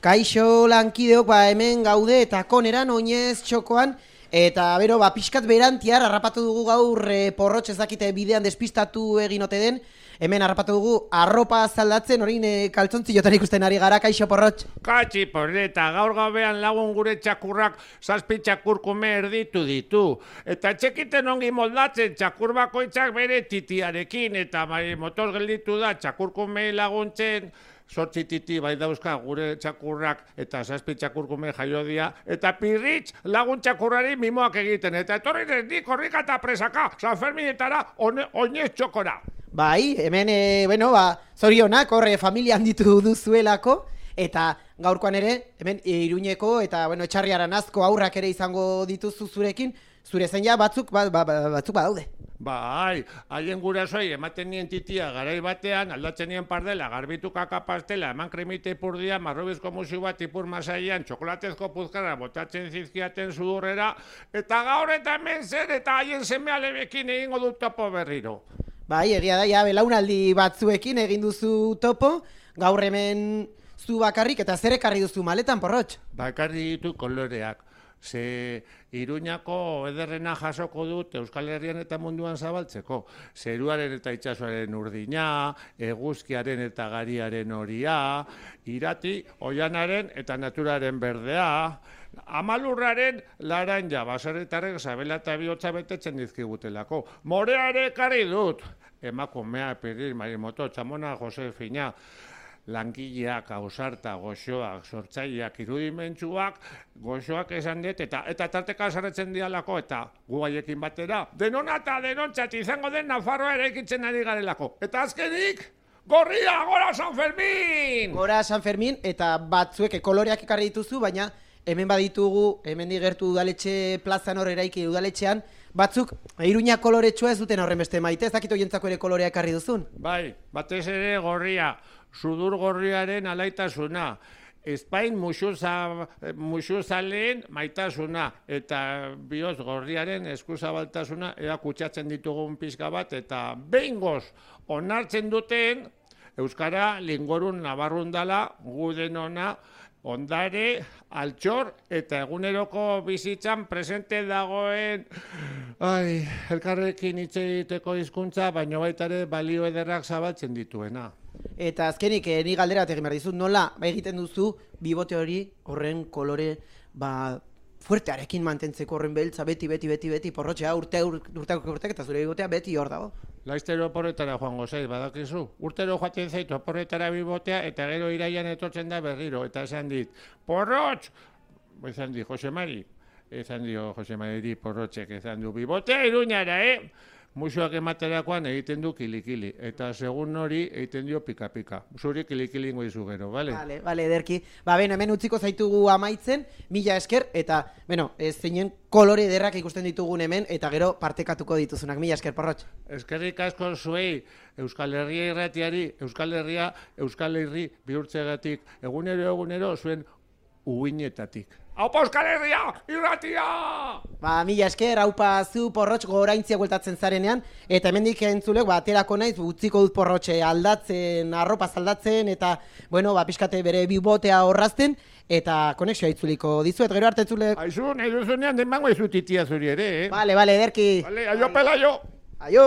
Kaixo lankideok, hemen gaude eta koneran oinez txokoan, eta bero, pixkat berantiar harrapatu dugu gaur porrotx ezakite bidean despistatu egin ote den, hemen harrapatu dugu arropa zaldatzen, orain kaltzontziotan ikusten ari gara, kaixo porrotx. Katxi porreta, gaur gabean lagun gure txakurrak 7 txakurkume erditu ditu. Eta txekiten ongi moldatzen txakur bakoitzak bere titiarekin, eta motor gelditu da txakurkume laguntzen, 8 titi bai dauzka gure txakurrak eta 7 txakurkume jaiodia, eta pirritx lagun txakurrari mimoak egiten, eta etorri nik korrika eta presaka, San Ferminetara oinez txokora. Bai, hemen, zorionak, horre familia handitu duzuelako, eta gaurkoan ere, hemen Iruñeko eta Etxarriaran azko aurrak ere izango dituzu zurekin, zure zein ja batzuk badaude. Bai, haien gurasoi ematen nien titia garai batean, aldatzen nien pardela, garbitu kaka pastela, eman kremite ipurdia, marrobizko musu bat ipur masaian, txokolatezko puzkarra botatzen zizkiaten sudurrera, eta gaur eta hemen zer eta haien seme alebekin egingo du topo berriro. Bai, egia da, ja, belaunaldi batzuekin egin duzu topo, gaur hemen zu bakarrik eta zer ekarri duzu maletan, porrotx? Bakarri ditu koloreak. Ze Iruñako ederrena jasoko dut Euskal Herrian eta munduan zabaltzeko. Zeruaren eta itsasoaren urdina, eguzkiaren eta gariaren horia, irati, oianaren eta naturaren berdea, amalurraren laranja, baserritarrek sabela eta bihotza betetzen dizkigutelako. Moreare ekarri dut, emakumea, Pirri, Marimoto, Txamona, Josefina, langileak, ausarta, goxoak, sortzaileak, irudimentsuak, goxoak esan dut, eta tarteka sarretzen dialako, eta gu haiekin batera, denona eta denontzat izango den Nafarroa eraikitzen ari garelako. Eta azkenik, gorria, gora San Fermin! Gora San Fermin, eta batzuek koloreak ekarri dituzu, baina hemen baditugu, hemen digertu udaletxe plazan hor eraiki udaletxean, batzuk Iruña koloretsua ez duten horren beste maite, ez dakit hoientzako ere kolorea ekarri duzun? Bai, batez ere gorria, sudur gorriaren alaitasuna, Espain musuzaleen maitasuna, eta bihotz gorriaren eskuzabaltasuna ea kutsatzen ditugun pixka bat, eta behingoz onartzen duten Euskara lingorun nabarrun dala, guden ona, ondare, altxor, eta eguneroko bizitzan presente dagoen elkarrekin hitz egiteko hizkuntza, baina baita ere balio ederrak zabaltzen dituena. Eta azkenik, ni galdera bat egin behar dizut, nola egiten duzu bibote hori horren kolore fuertearekin mantentzeko horren beltza beti, porrotxea urteak eta zure bibotea beti hor dago. Laiztero oporretara joango zaiz, badakizu. Urtero joaten zaitu oporretara bibotea eta gero iraian etortzen da berriro. Eta esan dit, porrotx! Esan dit, Jose Mari. Esan dio Jose Mari porrotxek, esan du bibotea Iruñara, Musuak ematerakoan egiten du kilikili, eta segun hori egiten dio pika-pika. Zuri kilikili ingo izu gero, bale? Bale, ederki. Hemen utziko zaitugu amaitzen, mila esker, eta, zeinen kolore ederrak ikusten ditugun hemen, eta gero partekatuko dituzunak. Mila esker, porrotx. Eskerrik asko zuei, Euskal Herria irratiari, Euskal Herria, Euskal Herri bihurtzegatik, egunero zuen uinetatik. Aupa Euskal Herria, irratia! Mila esker, haupa zu porrotx goraintzia gueltatzen zarenean, eta hemendik entzulek, aterako naiz, utziko dut porrotxe aldatzen, arropa zaldatzen, eta, pixkate bere bibotea horrazten, eta konexioa itzuliko dizuet, gero arte entzulek. Aizu, nahi duzunean denbango izu titia zuri ere, Bale, ederki. Bale, aio pelaio! Aio!